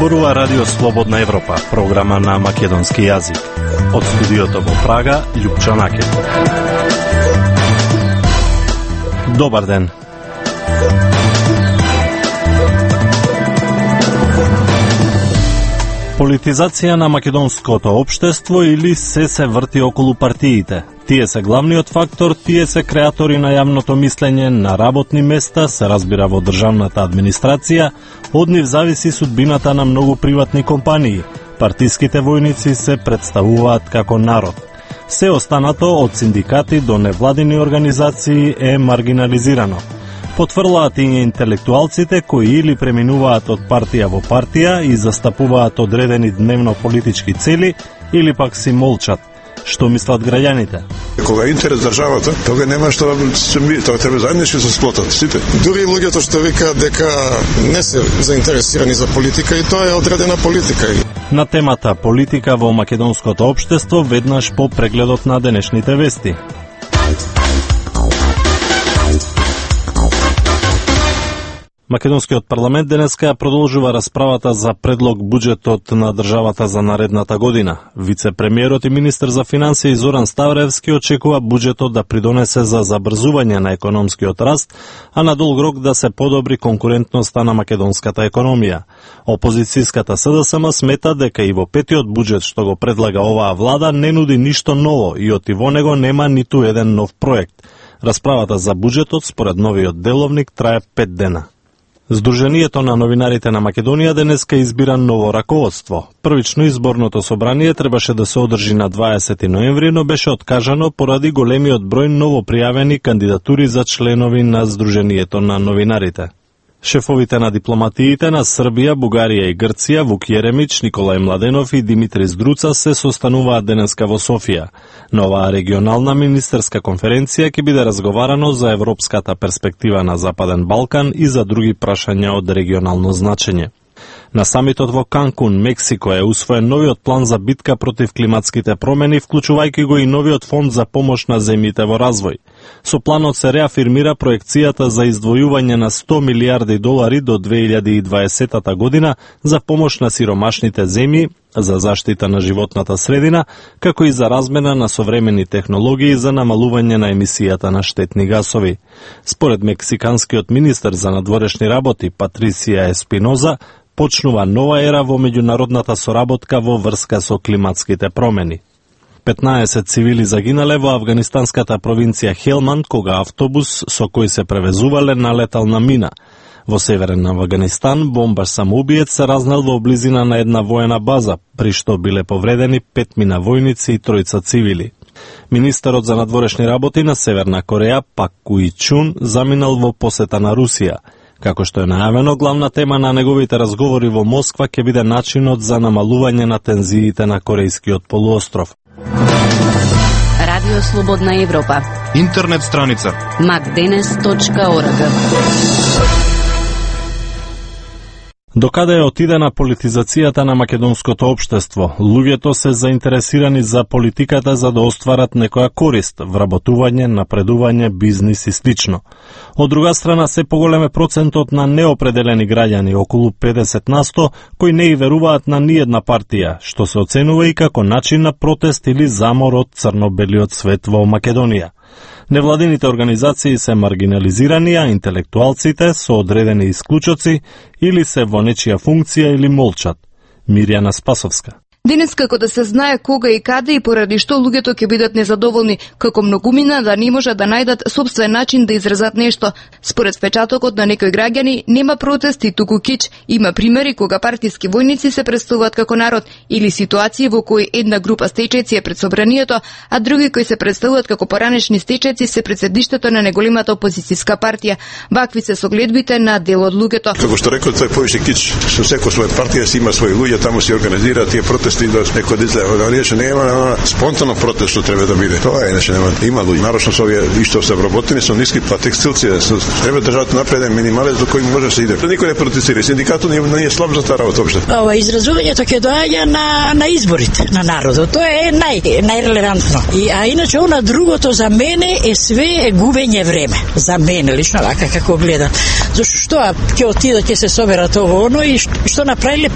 Зборува Радио Слободна Европа, програма на македонски јазик. Од студиото во Прага, Љупчо Накет. Добар ден. Политизација на македонското општество или се врти околу партиите. Тие се главниот фактор, тие се креатори на јавното мислење, на работни места, се разбира во државната администрација, од нив зависи судбината на многу приватни компании. Партиските војници се представуваат како народ. Се останато, од синдикати до невладини организации, е маргинализирано. Потврлаат и интелектуалците кои или преминуваат од партија во партија и застапуваат одредени дневно политички цели, или пак си молчат. Што мислат граѓаните? Кога е интерес државата, тога нема што тоа треба заеднички се сплотат сите. Дури луѓето што викаат дека не се заинтересирани за политика и тоа е одредена политика. На темата политика во македонското општество веднаш по прегледот на денешните вести. Македонскиот парламент денеска продолжува расправата за предлог буџетот на државата за наредната година. Вице-премиерот и министер за финансии Зоран Ставревски очекува буџетот да придонесе за забрзување на економскиот раст, а на долг рок да се подобри конкурентноста на македонската економија. Опозицијската СДСМ смета дека и во петиот буџет што го предлага оваа влада не нуди ништо ново и оти во него нема ниту еден нов проект. Расправата за буџетот според новиот деловник трае 5 дена. Сдруженијето на новинарите на Македонија денеска избира ново раководство. Првично изборното собрание требаше да се одржи на 20 ноември, но беше откажано поради големиот број новопријавени кандидатури за членови на Сдруженијето на новинарите. Шефовите на дипломатиите на Србија, Бугарија и Грција, Вук Јеремич, Николај Младенов и Димитри Здруца се состануваат денеска во Софија. На оваа регионална министерска конференција ќе биде разговарано за европската перспектива на Западен Балкан и за други прашања од регионално значење. На самитот во Канкун, Мексико, е усвоен новиот план за битка против климатските промени, вклучувајќи го и новиот фонд за помош на земјите во развој. Со планот се реафирмира проекцијата за издвојување на 100 милиарди долари до 2020 година за помош на сиромашните земји, за заштита на животната средина, како и за размена на современи технологии за намалување на емисијата на штетни гасови. Според мексиканскиот министер за надворешни работи Патрисија Еспиноза, почнува нова ера во меѓународната соработка во врска со климатските промени. 15 цивили загинале во афганистанската провинција Хелманд кога автобус со кој се превезувале налетал на мина. Во северен Афганистан бомбаш самоубиец се разнел во близина на една воена база, при што биле повредени 5 мина војници и 3 цивили. Министерот за надворешни работи на Северна Кореја Пак Куи Чун заминал во посета на Русија. Како што е најавено, главна тема на неговите разговори во Москва ќе биде начинот за намалување на тензиите на Корејскиот полуостров. Радио Слободна Европа. Интернет страница macdenes.org. Докаде е отидена политизацијата на македонското општество? Луѓето се заинтересирани за политиката за да остварат некоја корист, вработување, напредување, бизнис и слично. Од друга страна, се поголем е процентот на неопределени граѓани, околу 50%, кои не и веруваат на ниедна партија, што се оценува и како начин на протест или замор од црно-белиот свет во Македонија. Невладините организации се маргинализирани, а интелектуалците со одредени исклучоци или се во нечија функција или молчат. Мирјана Спасовска. Денес како да се знае кога и каде и поради што луѓето ќе бидат незадоволни, како многумина да не може да најдат собствен начин да изразат нешто. Според впечатокот на некои граѓани, нема протести, туку кич. Има примери кога партиски војници се представуваат како народ или ситуации во кои една група стечајци е пред собранието, а други кои се представуваат како поранешни стечајци се пред седиштето на неголемата опозицијска партија. Вакви се согледбите на дел од луѓето. Како што рекол, тој повеќе кич, со секој своја партија си има своји луѓе, таму се организираат тие протести протести да некој да излева, да иначе нема спонтано протест што треба да биде. Тоа иначе нема. Има луѓе, нарочно со овие што се вработени со ниски текстилци, треба државата напред минимален до кој може да се иде. Никој не протестира, синдикатот не е слаб за таа работа општо. Ова изразувањето ќе доаѓа на изборите на народот. Тоа е најрелевантно. А иначе она другото за мене е све губење време. За мене лично вака како гледам. Зашто што ќе отидат, ќе се соберат ово оно и што направиле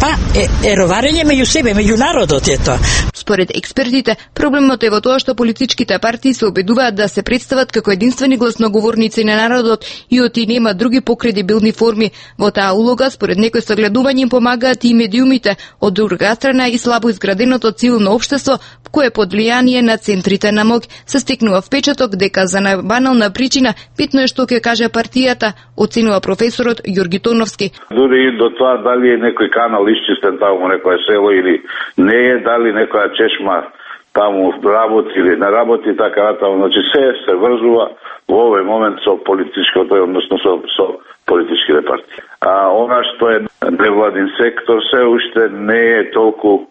е роварење меѓу себе, меѓу народот е тоа. Според експертите, проблемот е во тоа што политичките партии се обидуваат да се представат како единствени гласноговорници на народот и оти нема други покредибилни форми. Во таа улога, според некои согледувања им помагаат и медиумите, од друга страна и слабо изграденото цивилно општество, кое под влијание на центрите на моќ се стекнува впечаток дека за најбанална причина битно е што ќе каже партијата, оценува професорот Ѓорги Тоновски. Дури и до тоа дали е некој канал исчистен таму некое село или не е, дали некоја чешма таму работи или не работи, така натаму. Значи се врзува во овој момент со политичкото, односно со политичките партии. А она што е невладин сектор се уште не е толку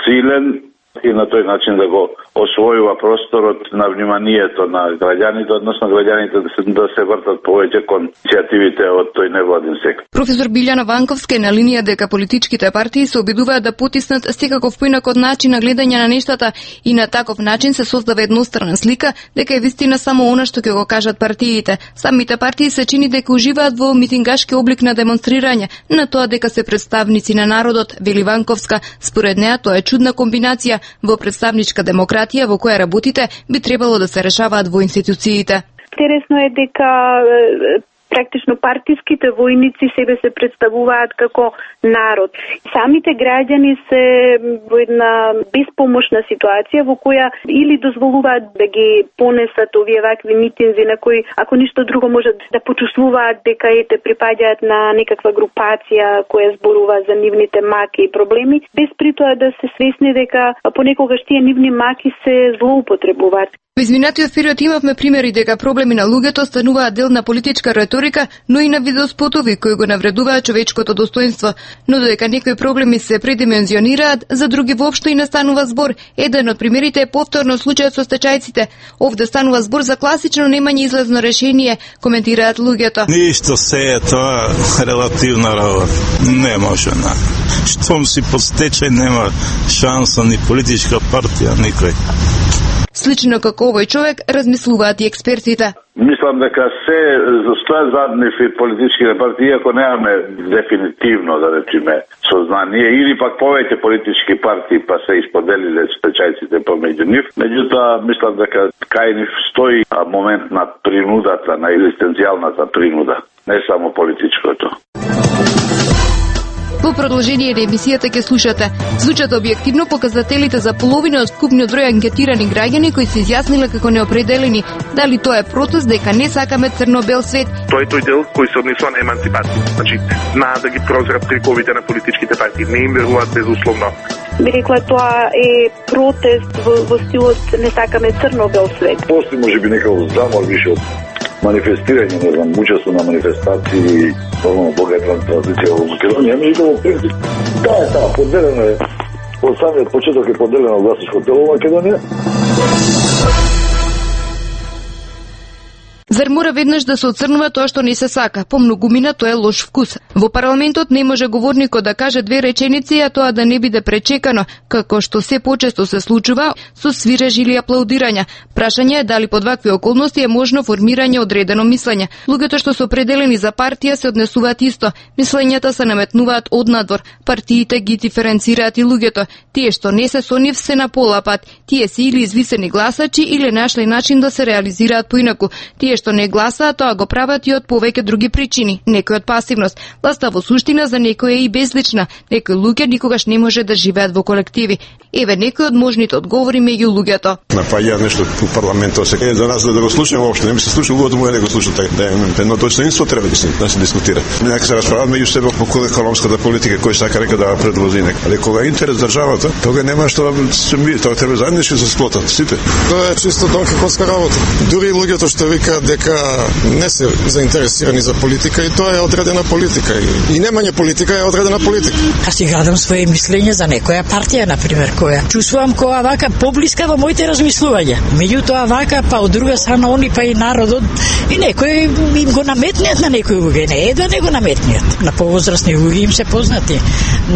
силен и на тој начин да го освојува просторот на вниманието на граѓаните, односно граѓаните да се вртат повеќе кон иницијативите од тој невладин сектор. Професор Билјана Ванковска е на линија дека политичките партии се обидуваат да потиснат секаков поинаков начин на гледање на нештата и на таков начин се создава еднострана слика дека е вистина само она што ќе го кажат партиите. Самите партии се чини дека уживаат во митингашки облик на демонстрирање, на тоа дека се представници на народот, вели Ванковска. Според неа тоа е чудна комбинација. Во представничка демократија во која работите би требало да се решаваат во институциите. Интересно е дека практично партиските војници себе се представуваат како народ. Самите граѓани се во една беспомошна ситуација во која или дозволуваат да ги понесат овие вакви митинзи на кои, ако ништо друго, можат да почувствуваат дека припаѓаат на некаква групација која зборува за нивните маки и проблеми, без при тоа да се свесни дека понекогаш тие нивни маки се злоупотребуваат. Во изминатиот период имавме примери дека проблеми на луѓето стануваат дел на политичка реторика, но и на видеоспотови кои го навредуваат човечкото достоинство. Но додека некои проблеми се предимензионираат, за други воопшто и не станува збор. Еден од примерите е повторно случајот со стечајците. Овде станува збор за класично немање излезно решение, коментираат луѓето. Ништо се е тоа релативна работа. Не може на. Штом си под стечај нема шанса ни политичка партија, никој. Слично како овој човек размислуваат и експертите. Мислам дека се стојат зад нив политичките партии, ако немаме дефинитивно, да речеме, сознание, или пак повеќе политички партии па се исподелиле стечајците помеѓу нив. Меѓутоа, мислам дека кај нив стои момент на принудата, на екзистенцијалната принуда, не само политичкото. Во продолжение на емисијата ќе слушате. Звучат објективно показателите за половина од вкупниот број анкетирани граѓани кои се изјасниле како неопределени. Дали тоа е протест дека не сакаме црно-бел свет? Тоа е тој дел кој се однесува на емансипација. Значи, да ги прозрат триковите на политичките партии. Не им веруваат безусловно. Би рекла тоа е протест во стилот не сакаме црно-бел свет. Постои можеби некако замор више од манифестирање, не знам, учество на манифестации, нормално богата традиција во Македонија, меѓутоа во принцип, таа поделено е, од самиот почеток е поделено гласачко тело во Македонија. Зар мора веднаш да се оцрнува тоа што не се сака? По многумина тоа е лош вкус. Во парламентот не може говорникот да каже две реченици, а тоа да не биде пречекано, како што се почесто се случува со свиреж или аплаудирања. Прашање е дали под вакви околности е можно формирање одредено мислење. Луѓето што се определени за партија се однесуваат исто. Мислењата се наметнуваат однадвор. Партиите ги диференцираат и луѓето. Тие што не се со нив се на пола пат. Тие се или извисени гласачи или нашли начин да се реализираат поинаку. Тие што не гласаат, тоа го прават и од повеќе други причини, некој од пасивност. Власта во суштина за некој е и безлична. Некои луѓе никогаш не може да живеат во колективи. Еве некои од можните одговори меѓу луѓето. Напаѓа нешто во парламентот се за нас да го слушаме воопшто, не ми се слуша, луѓето му не го слушаат, да едно достоинство треба да се дискутира. Нека се расправат меѓу себе по економската политика кој сака река да предложи нека. Але кога е интерес државата, тога нема што тоа треба заеднички се сплотат сите. Тоа е чисто донкаковска работа. Дури луѓето што викаат дека не се заинтересирани за политика и тоа е одредена политика и немање политика е одредена политика. Аз си градам своje мислење за некоја партија, например, која чувствувам која вака поблиска во моите размислувања. Меѓутоа вака па од друга страна они па и народот и некој им го наметнеат на некој луѓе, не е да не го наметнеат. На повозрастни луѓе им се познати.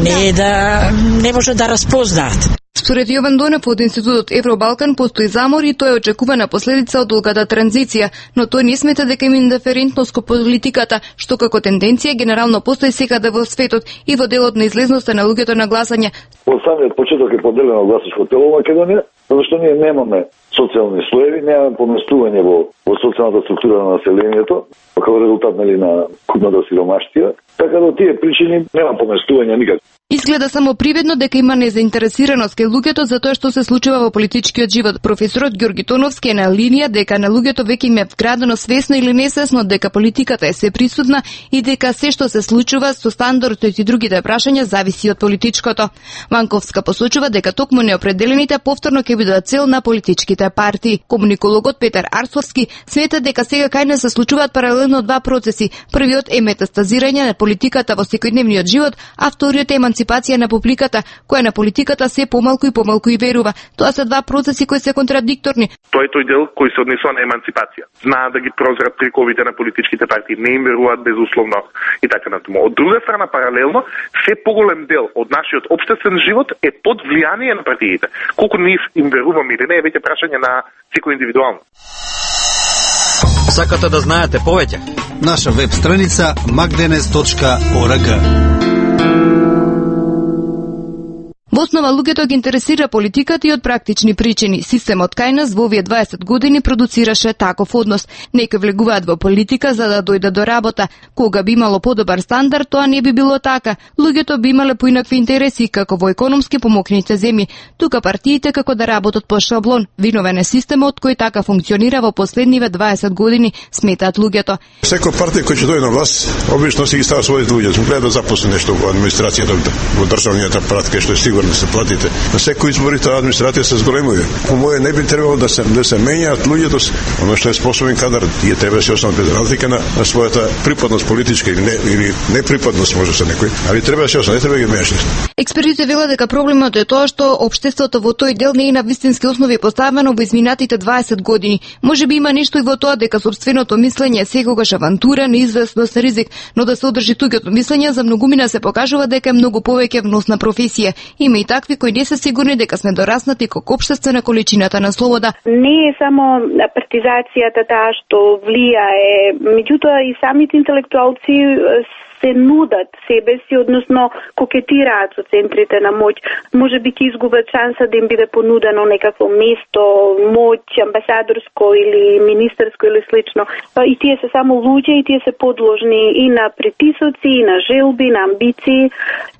Не е да не може да разпознаат. Според Јован Донев од Институтот Евробалкан постои замор и тоа е очекувана последица од долгата транзиција, но тој не смета дека има индиферентност кон политиката, што како тенденција генерално постои секаде во светот и во делот на излезноста на луѓето на гласање. Од самиот почеток е поделено гласачко тело во Македонија, зашто ние немаме социјални слоеви, немаме поместување во социјалната структура на населението, како резултат на купната сиромаштија, така да тие причини нема поместување никако. Изгледа само привидно дека има незаинтересираност кај луѓето за тоа што се случува во политичкиот живот. Професорот Ѓорги Тоновски е на линија дека на луѓето веќе им е вградено свесно или несвесно дека политиката е сеприсутна и дека се што се случува со стандардот и другите прашања зависи од политичкото. Ванковска посочува дека токму неопределените повторно ќе бидат цел на политичките партии. Комуникологот Петар Арсовски смета дека сега кај нас се случуваат паралелно два процеси. Првиот е метастазирање на политиката во секојдневниот живот, а вториот е еманципација на публиката, која на политиката се помалку и верува. Тоа се два процеси кои се контрадикторни. Тоа е тој дел кој се однесува на еманципација. Знаат да ги прозрат триковите на политичките партии, не им веруваат безусловно и така натаму. Од друга страна, паралелно, се поголем дел од нашиот општествен живот е под влијание на партиите. Колку ние им веруваме или не е веќе прашање на секој индивидуално. Сакате да знаете повеќе? Наша веб страница magdenes.org. Во основа луѓето ги интересира политиката и од практични причини. Системот кај нас во овие 20 години продуцираше таков однос. Некои влегуваат во политика за да дојдат до работа. Кога би имало подобар стандард, тоа не би било така. Луѓето би имале поинакви интереси, како во економски помокните земји. Тука партиите како да работат по шаблон. Виновен е системот кој така функционира во последниве 20 години, сметаат луѓето. Секоја партија која ќе дојде на власт, обично си ги става своите луѓе. Гледа да запусне нешто во администрацијата, во државниот апарат, кај што е сигурно да се платите. На секој избори таа администрација се зголемува. По моје не би требало да се менјаат луѓето, оно што е способен кадар, тие треба да се останат без разлика на својата припадност политичка или неприпадност може се некој, али треба да се останат, не треба да ги менеш. Експертите велат дека проблемот е тоа што општеството во тој дел не е на вистински основи поставено во изминатите 20 години. Можеби има нешто и во тоа дека сопственото мислење е секогаш авантура, неизвестност, ризик, но да се одржи туѓото мислење за многумина се покажува дека е многу повеќе вносна професија. Има и такви кои не се сигурни дека сме дораснати како општество на количината на слобода. Не е само партизацијата таа што влијае, меѓутоа и самите интелектуалци се нудат себе си, односно кокетираат со центрите на моќ. Може би ќе изгубат шанса да им биде понудено некакво место, моќ, амбасадорско или министерско или слично. И тие се само луѓе и тие се подложни и на притисоци, и на желби, на амбиции.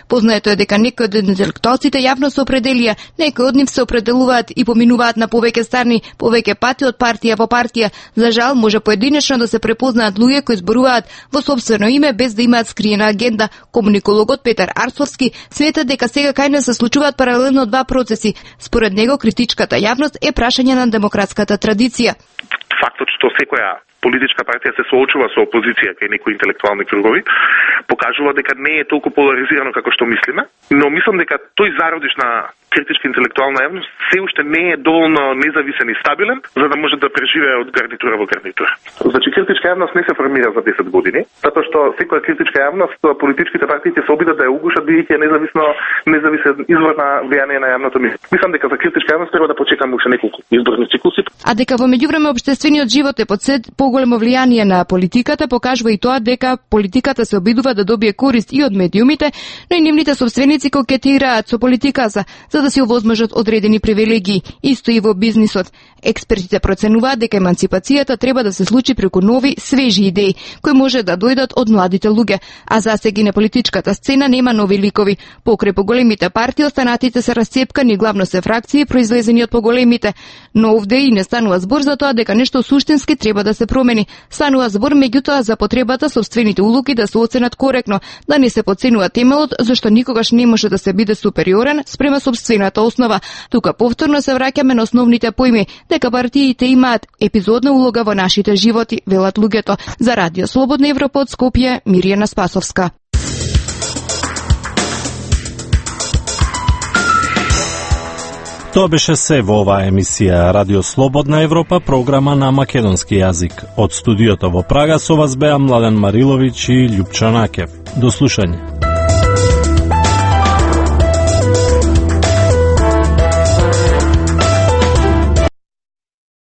Познаето е дека некои од интелектуалците јавно се определија, некои од нив се определуваат и поминуваат на повеќе страни, повеќе пати од партија во партија. За жал, може поединечно да се препознаат луѓе кои зборуваат во сопствено име без да имаат скриена агенда. Комуникологот Петар Арсовски смета дека сега кај нас се случуваат паралелно два процеси. Според него, критичката јавност е прашање на демократската традиција. Фактот што секоја политичка партија се соочува со опозиција кај некои интелектуални кругови, покажува дека не е толку поларизирано како што мислиме, но мислам дека тој зародиш на критичка интелектуална јавност се уште не е доволно независен и стабилен за да може да преживее од гарнитура во гарнитура. Значи критичка јавност не се формира за 10 години, затоа што секоја критичка јавност политичките партии ќе се обидат да ја угушат бидејќи е независен извор на влијание на јавното мислење. Мислам дека за критичка јавност треба да почекаме уште неколку изборни циклуси. А дека во меѓувреме општествениот живот е под сет поголемо влијание на политиката, покажува и тоа дека политиката се обидува да добие корист и од медиумите, но и нивните собственици кокетираат со политиката за да се овозможат одредени привилегии, исто и во бизнисот. Експертите проценуваат дека еманципацијата треба да се случи преку нови, свежи идеи, кои може да дојдат од младите луѓе, а засеги на политичката сцена нема нови ликови. Покрај поголемите партии останатите се расцепкани, главно се фракции произлезени од поголемите, но овде и не станува збор за тоа дека нешто суштински вистински треба да се промени. Станува збор меѓутоа за потребата сопствените улоги да се оценат коректно, да не се потценува темелот, зашто никогаш не може да се биде супериорен спрема сопствената основа. Тука повторно се враќаме на основните поими, дека партиите имаат епизодна улога во нашите животи, велат луѓето. За Радио Слободна Европа од Скопје, Миријана Спасовска. Тоа беше се во оваа емисија Радио Слободна Европа, програма на македонски јазик. Од студиото во Прага со вас беа Младен Мариловиќ и Љупчо Накев. До слушање.